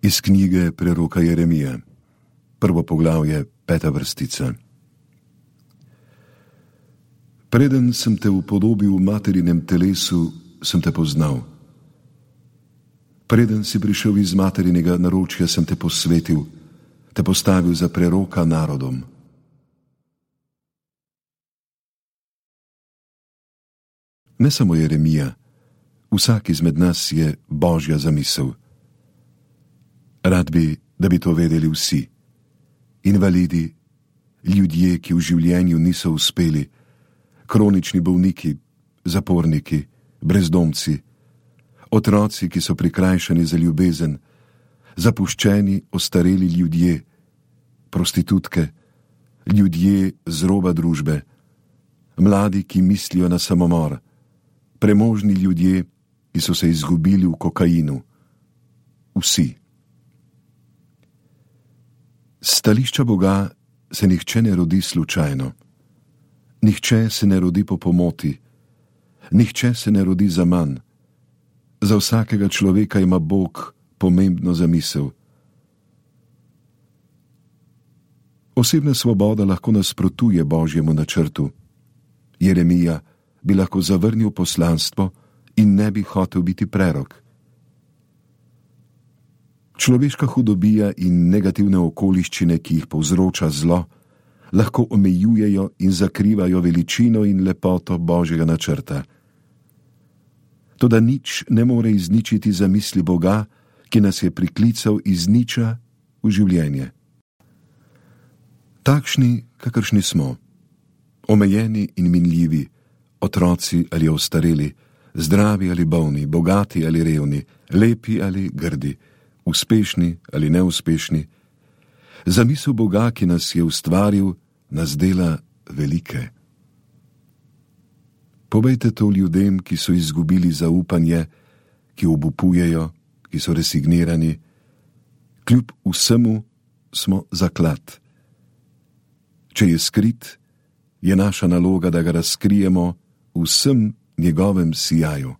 Iz knjige preroka Jeremija, 1. poglavje, 5. vrstica. Preden sem te upodobil v materinem telesu, sem te poznal. Preden si prišel iz materinega naročja, sem te posvetil, te postavil za preroka narodom. Ne samo Jeremija, vsak izmed nas je Božja zamisel. Rad bi, da bi to vedeli vsi. Invalidi, ljudje, ki v življenju niso uspeli, kronični bolniki, zaporniki, brezdomci, otroci, ki so prikrajšani za ljubezen, zapuščeni, ostareli ljudje, prostitutke, ljudje z roba družbe, mladi, ki mislijo na samomor, premožni ljudje, ki so se izgubili v kokainu. Vsi. S stališča Boga se nihče ne rodi slučajno. Nihče se ne rodi po pomoti. Nihče se ne rodi zaman. Za vsakega človeka ima Bog pomembno zamisel. Osebna svoboda lahko nasprotuje Božjemu načrtu. Jeremija bi lahko zavrnil poslanstvo in ne bi hotel biti prerok. Človeška hudobija in negativne okoliščine, ki jih povzroča zlo, lahko omejujejo in zakrivajo veličino in lepoto Božjega načrta. Toda nič ne more izničiti zamisli Boga, ki nas je priklical iz niča v življenje. Takšni, kakršni smo, omejeni in minljivi, otroci ali ostareli, zdravi ali bolni, bogati ali revni, lepi ali grdi, uspešni ali neuspešni, zamisel Boga, ki nas je ustvaril, nas dela velike. Povejte to ljudem, ki so izgubili zaupanje, ki obupujejo, ki so resignirani. Kljub vsemu smo zaklad. Če je skrit, je naša naloga, da ga razkrijemo v vsem njegovem sijaju.